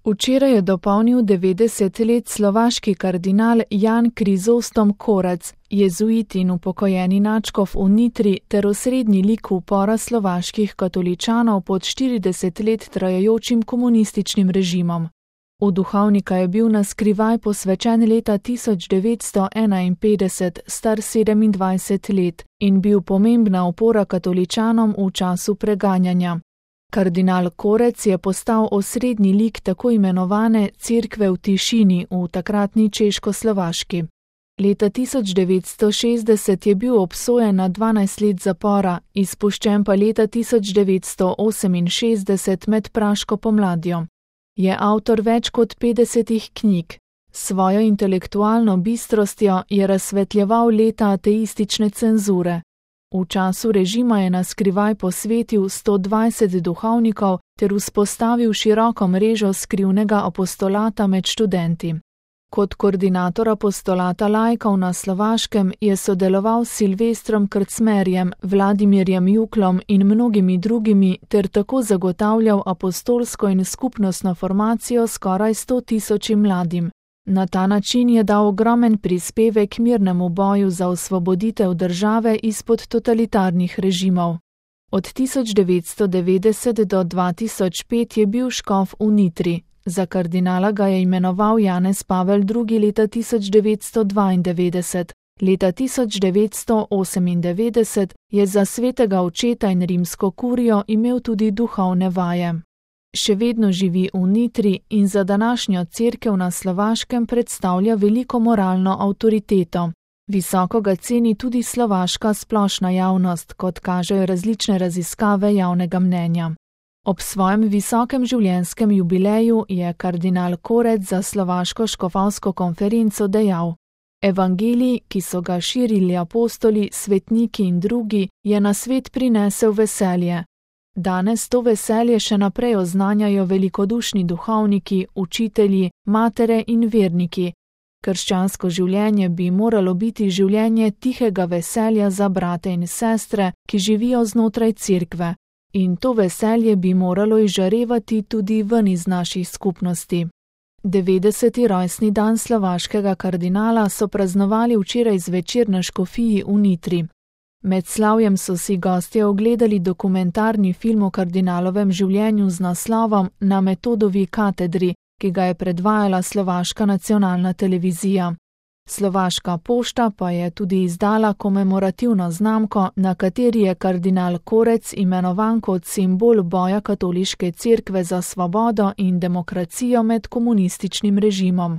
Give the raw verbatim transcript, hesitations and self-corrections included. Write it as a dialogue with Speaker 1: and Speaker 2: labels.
Speaker 1: Včeraj je dopolnil devetdeset let slovaški kardinal Jan Krizostom Korec, jezuit in upokojeni nadškof v Nitri ter osrednji lik upora slovaških katoličanov pod štirideset let trajajočim komunističnim režimom. V duhovnika je bil na skrivaj posvečen leta tisoč devetsto enainpetdeset, star sedemindvajset let, in bil pomembna opora katoličanom v času preganjanja. Kardinal Korec je postal osrednji lik tako imenovane Cerkve v tišini v takratni Češkoslovaški. Leta tisoč devetsto šestdeset je bil obsojen na dvanajst let zapora, izpuščen pa leta tisoč devetsto oseminšestdeset med praško pomladjo. Je avtor več kot petdesetih knjig. Svojo intelektualno bistrostjo je razsvetljeval leta ateistične cenzure. V času režima je na skrivaj posvetil sto dvajset duhovnikov ter vzpostavil široko mrežo skrivnega apostolata med študenti. Kot koordinator apostolata laikov na Slovaškem je sodeloval s Silvestrom Krcmerjem, Vladimirjem Juklom in mnogimi drugimi ter tako zagotavljal apostolsko in skupnostno formacijo skoraj sto tisočim mladim. Na ta način je dal ogromen prispevek mirnemu boju za osvoboditev države izpod totalitarnih režimov. Od tisoč devetsto devetdeset do dva tisoč pet je bil škof v Nitri. Za kardinala ga je imenoval Janez Pavel drugi leta tisoč devetsto dvaindevetdeset. Leta tisoč devetsto osemindevetdeset je za svetega očeta in rimsko kurijo imel tudi duhovne vaje. Še vedno živi v Nitri in za današnjo cerkev na Slovaškem predstavlja veliko moralno avtoriteto. Visoko ga ceni tudi slovaška splošna javnost, kot kažejo različne raziskave javnega mnenja. Ob svojem visokem življenjskem jubileju je kardinal Korec za slovaško škofovsko konferenco dejal: Evangelij, ki so ga širili apostoli, svetniki in drugi, je na svet prinesel veselje. Danes to veselje še naprej oznanjajo velikodušni duhovniki, učitelji, matere in verniki. Krščansko življenje bi moralo biti življenje tihega veselja za brate in sestre, ki živijo znotraj cerkve. In to veselje bi moralo izžarevati tudi ven iz naših skupnosti. devetdeseti rojstni dan slovaškega kardinala so praznovali včeraj zvečer na škofiji v Nitri. Med slavjem so si gostje ogledali dokumentarni film o kardinalovem življenju z naslovom Na Metodovi katedri, ki ga je predvajala slovaška nacionalna televizija. Slovaška pošta pa je tudi izdala komemorativno znamko, na kateri je kardinal Korec imenovan kot simbol boja katoliške cerkve za svobodo in demokracijo med komunističnim režimom.